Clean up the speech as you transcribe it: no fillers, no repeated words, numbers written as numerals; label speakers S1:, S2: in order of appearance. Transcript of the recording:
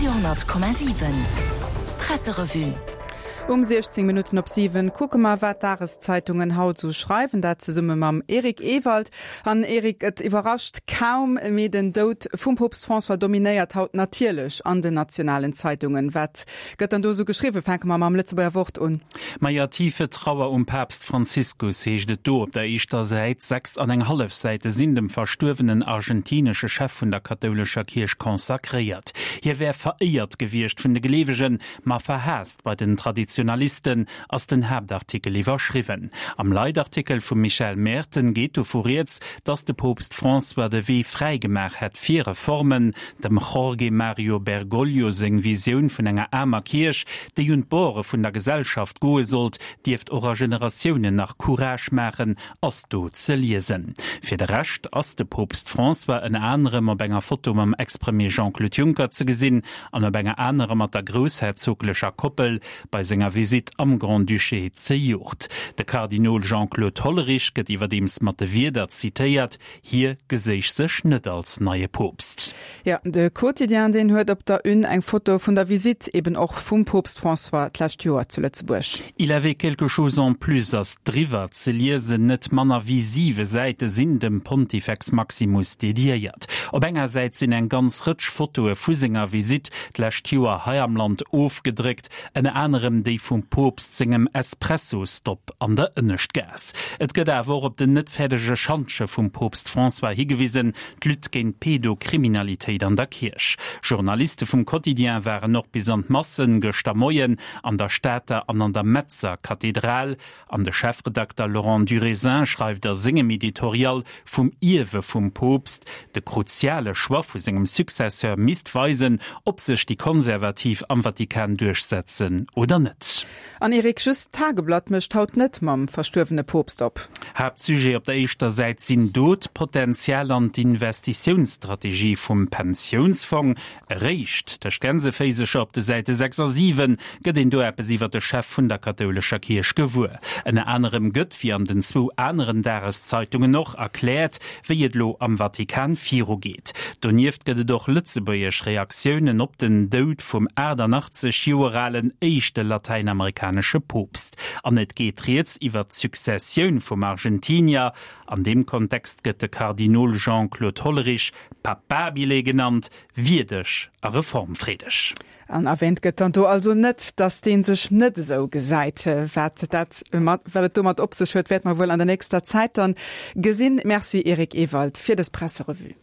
S1: Radio 10,7 Presserevue.
S2: Um 16 Minutten op 7 kucke mer, wat d'Dageszeitungen haut esou schreiwen. Dat zesumme mam Eric Ewald. An Eric, et iwwerrascht kaum, mee den Doud vum Poopst François dominéiert haut natierlech an den nationalen Zeitungen. Wat gëtt dann do esou geschriwwen? Fänke mer mam Lëtzebuerger Wort un.
S3: Maja, Tiefe Trauer um Papst Franziskus heescht et do op der éischter Säit. 6 an eng hallef Säite sinn dem verstuerwenen argentinesche Chef vun der kathoulescher Kierch consacréiert. Hie wär veréiert gewiescht vun de Gleewegen, ma verhaasst bei den Traditionalisten, ass den Haaptartikel iwwerschriwwen. Am Leitartikel vum Michael Merten geet dovu rieds, datt de Poopst François de Wee fräi gemaach hätt fir Reformen. Dem Jorge Mario Bergoglio seng Visioun vun enger aarmer Kierch, déi un d'Borde vun der Gesellschaft goe sollt, dierft och a Generatiounen nach Courage maachen, ass do ze liesen. Fir de Rescht ass de Poopst François ënner anerem op enger Foto mam Ex-Premier Jean-Claude Juncker ze gesinn an op enger anerer mat der groussherzoglecher Koppel bei senger Visitt am Grand-Duché zejoert. De Kardinol Jean-Claude Hollerich gëtt iwwerdeems mat de Wierder zitéiert, hie geséich sech net als neie Poopst.
S2: Jo, de Quotidien, deen huet op der Une eng Foto vun der Visitt eben och vum Poopst François d'lescht Joer zu Lëtzebuerg.
S3: Il avait quelque chose en plus ass driwwer ze liesen. Net manner wéi siwe Säite sinn dem Pontifex Maximus dediéiert. Op enger Säit sinn eng ganz Rëtsch Fotoe vu senger Visitt d'lescht Joer hei am Land ofgedréckt, ënner anerem déi vum Poopst sengem Espresso-Stop an der Ënneschtgaass. Et gëtt awer och op den net fäerdege Schantje vum Poopst François higewisen, d'Lutte géint d'Pedokriminalitéit an der Kierch. Journaliste vum Quotidien waren och bis an d'Massen gëschter Moien an der Stater an an der Metzer Kathedral. An de Chefredakter Laurent Durézin schreift a sengem Editorial vum Ierwe vum Poopst, de kruziale Choix vu sengem Successeur misst weisen, ob sech déi Konservativ am Vatikan duerchsetzen oder net.
S2: An Eric, just d'Tageblatt mécht haut net mam verstuerwene Poopst op.
S3: Haaptsujet op der éischter Säit sinn do d'Potenzial an d'Investitiounsstrategie vum Pensiounsfong. Eréischt tëscht Gänseféisecher op de Säite 6 a 7 gëtt een do eppes iwwer de Chef vun der kathoulescher Kierch gewuer. Ënner anerem gëtt, wéi an den zwou aneren Dageszeitungen och, erkläert, wéi et elo am Vatikan virugeet. Donieft gëtt et och lëtzebuergesch Reaktiounen op den Doud vum 88 Joer alen éischte latäinamerikanesche Poopst. An et geet rieds iwwer d'Successioun vum Argentinier. An deem Kontext gëtt de Kardinol Jean-Claude Hollerich Papabile genannt, wierdeg a reformfreedeg.
S2: An erwähnt gëtt dann do also net, datt dee sech net esou gesäit. Wat dat wat et domat op sech huet, wäerte mer wuel an der nächster Zäit dann gesinn. Merci Eric Ewald fir dës Presserevue.